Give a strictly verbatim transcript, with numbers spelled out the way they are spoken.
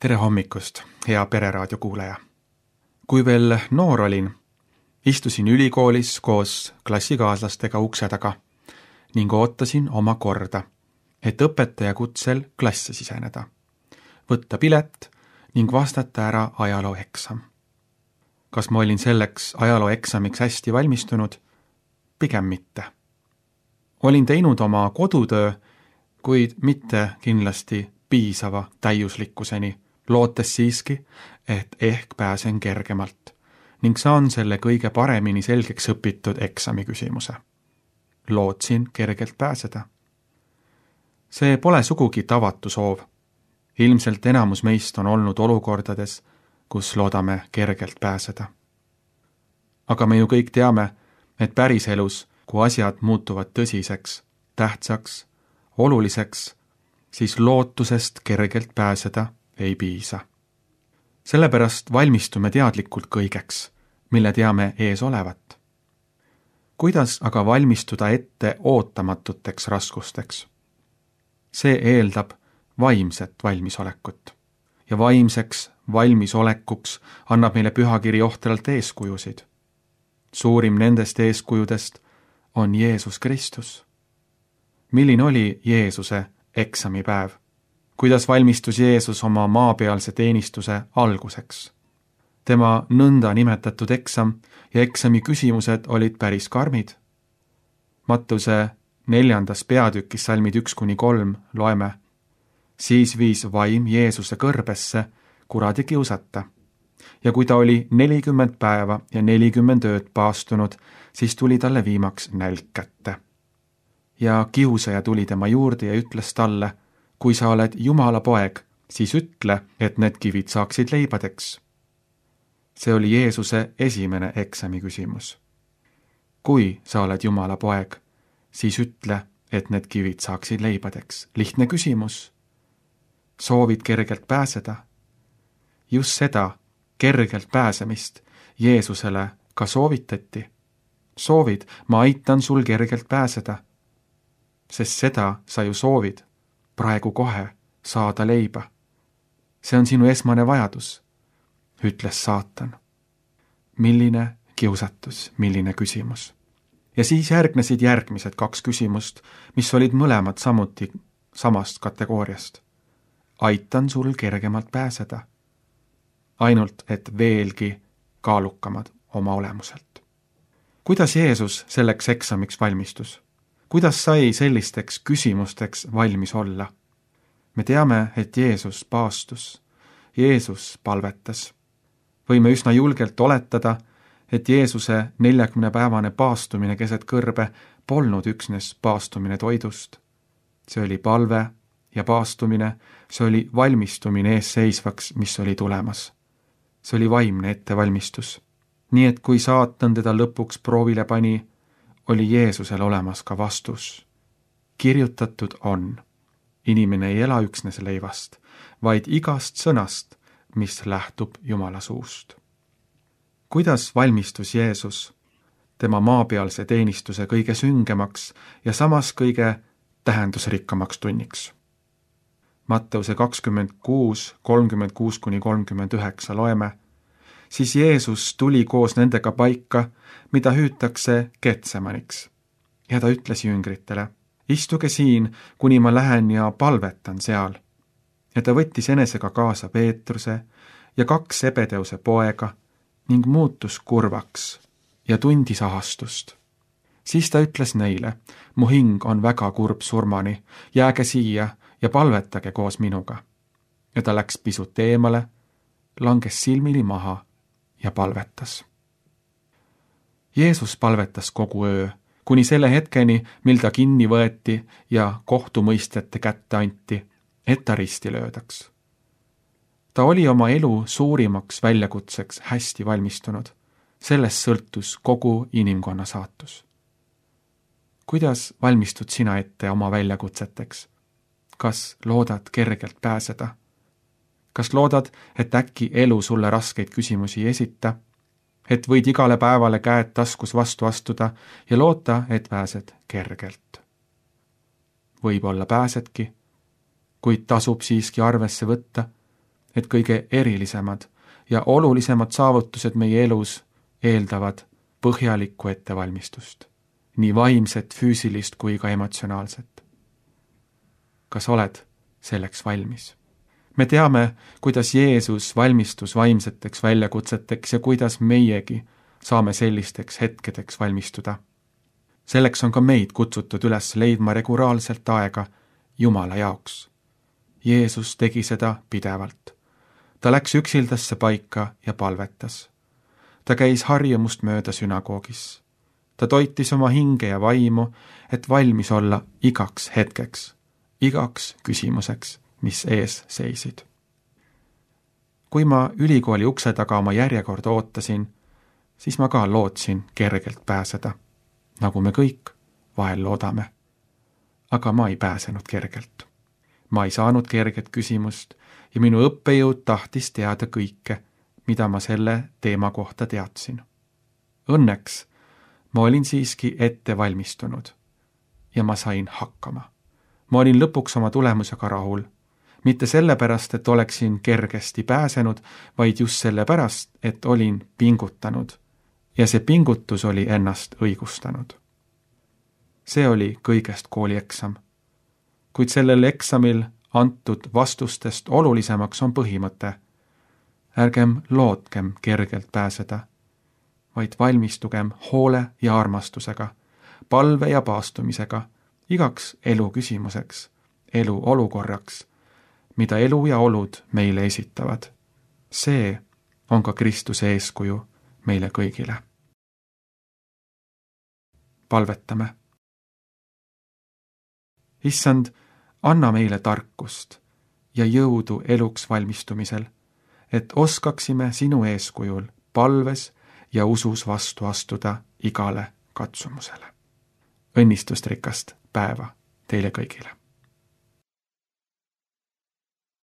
Tere hommikust, hea Pereraadio kuulaja! Kui veel noor olin, istusin ülikoolis koos klassikaaslastega ukse taga ning ootasin oma korda, et õpetaja kutsel klasse siseneda, võtta pilet ning vastata ära ajalooeksam. Kas ma olin selleks ajalooeksamiks hästi valmistunud? Pigem mitte. Olin teinud oma kodutöö, kuid mitte kindlasti piisava täiuslikkuseni, lootes siiski, et ehk pääsen kergemalt ning saan selle kõige paremini selgeks õpitud eksami küsimuse. Lootsin kergelt pääseda. See pole sugugi tavatu soov. Ilmselt enamus meist on olnud olukordades, kus loodame kergelt pääseda. Aga me ju kõik teame, et päriselus, kui asjad muutuvad tõsiseks, tähtsaks, oluliseks, siis lootusest kergelt pääseda ei piisa. Sellepärast valmistume teadlikult kõigeks, mille teame ees olevat. Kuidas aga valmistuda ette ootamatuteks raskusteks? See eeldab vaimset valmisolekut. Ja vaimseks valmisolekuks annab meile pühakiri ohtralt eeskujusid. Suurim nendest eeskujudest on Jeesus Kristus. Milline oli Jeesuse eksamipäev? Kuidas valmistus Jeesus oma maapealse teenistuse alguseks? Tema nõnda nimetatud eksam ja eksami küsimused olid päris karmid. Mattuse neljandas peatükis salmid üks kuni kolm loeme. Siis viis vaim Jeesuse kõrbesse kuradi kiusata. Ja kui ta oli nelikümmend päeva ja nelikümmend ööd paastunud, siis tuli talle viimaks nälg kätte. Ja kiusaja tuli tema juurde ja ütles talle, kui sa oled Jumala poeg, siis ütle, et need kivid saaksid leibadeks. See oli Jeesuse esimene eksami küsimus. Kui sa oled Jumala poeg, siis ütle, et need kivid saaksid leibadeks. Lihtne küsimus. Soovid kergelt pääseda? Just seda, kergelt pääsemist, Jeesusele ka soovitati. Soovid, ma aitan sul kergelt pääseda. Sest seda sa ju soovid, praegu kohe saada leiba. See on sinu esmane vajadus, ütles saatan. Milline kiusatus, milline küsimus. Ja siis järgnesid järgmised kaks küsimust, mis olid mõlemad samuti samast kategooriast. Aitan sul kergemalt pääseda. Ainult, et veelgi kaalukamad oma olemuselt. Kuidas Jeesus selleks eksamiks valmistus? Kuidas sai sellisteks küsimusteks valmis olla? Me teame, et Jeesus paastus. Jeesus palvetas. Võime üsna julgelt oletada, et Jeesuse neljakümnepäevane paastumine keset kõrbe polnud üksnes paastumine toidust. See oli palve ja paastumine, see oli valmistumine ees seisvaks, mis oli tulemas. See oli vaimne ettevalmistus. Nii et kui saatan teda lõpuks proovile pani, oli Jeesusel olemas ka vastus. Kirjutatud on, inimene ei ela üksnes leivast, vaid igast sõnast, mis lähtub Jumala suust. Kuidas valmistus Jeesus tema maapealse teenistuse kõige süngemaks ja samas kõige tähendusrikkamaks tunniks? Mattuse kakskümmend kuus, kolmkümmend kuus kuni kolmkümmend üheksa loeme. Siis Jeesus tuli koos nendega paika, mida hüütakse Getsemaniks. Ja ta ütles jüngritele, istuge siin, kuni ma lähen ja palvetan seal. Ja ta võttis enesega kaasa Peetruse ja kaks Sebedeuse poega ning muutus kurvaks ja tundis ahastust. Siis ta ütles neile, mu hing on väga kurb surmani, jääge siia ja palvetage koos minuga. Ja ta läks pisut eemale, langes silmili maha ja palvetas. Jeesus palvetas kogu öö, kuni selle hetkeni, mil ta kinni võeti ja kohtumõistjate kätte anti, et ta risti löödaks. Ta oli oma elu suurimaks väljakutseks hästi valmistunud. Sellest sõltus kogu inimkonna saatus. Kuidas valmistud sina ette oma väljakutseteks? Kas loodad kergelt pääseda? Kas loodad, et äkki elu sulle raskeid küsimusi esita? Et võid igale päevale käed taskus vastu astuda ja loota, et pääsed kergelt? Võib-olla pääsedki, kuid tasub siiski arvesse võtta, et kõige erilisemad ja olulisemad saavutused meie elus eeldavad põhjalikku ettevalmistust, nii vaimset, füüsilist kui ka emotsionaalset. Kas oled selleks valmis? Me teame, kuidas Jeesus valmistus vaimseteks väljakutseteks ja kuidas meiegi saame sellisteks hetkedeks valmistuda. Selleks on ka meid kutsutud üles leidma regulaarselt aega Jumala jaoks. Jeesus tegi seda pidevalt. Ta läks üksildasse paika ja palvetas. Ta käis harjumust mööda sünagoogis. Ta toitis oma hinge ja vaimu, et valmis olla igaks hetkeks, igaks küsimuseks, mis ees seisid. Kui ma ülikooli ukse taga oma järjekorda ootasin, siis ma ka lootsin kergelt pääseda, nagu me kõik vahel loodame. Aga ma ei pääsenud kergelt. Ma ei saanud kerget küsimust ja minu õppejõud tahtis teada kõike, mida ma selle teema kohta teadsin. Õnneks ma olin siiski ette valmistunud ja ma sain hakkama. Ma olin lõpuks oma tulemusega rahul. Mitte sellepärast, et oleksin kergesti pääsenud, vaid just sellepärast, et olin pingutanud ja see pingutus oli ennast õigustanud. See oli kõigest koolieksam. Kuid sellel eksamil antud vastustest olulisemaks on põhimõte. Ärgem lootkem kergelt pääseda, vaid valmistugem hoole ja armastusega, palve ja paastumisega, igaks elu küsimuseks, elu olukorraks, mida elu ja olud meile esitavad. See on ka Kristuse eeskuju meile kõigile. Palvetame. Issand, anna meile tarkust ja jõudu eluks valmistumisel, et oskaksime sinu eeskujul palves ja usus vastu astuda igale katsumusele. Õnnistust rikast päeva teile kõigile!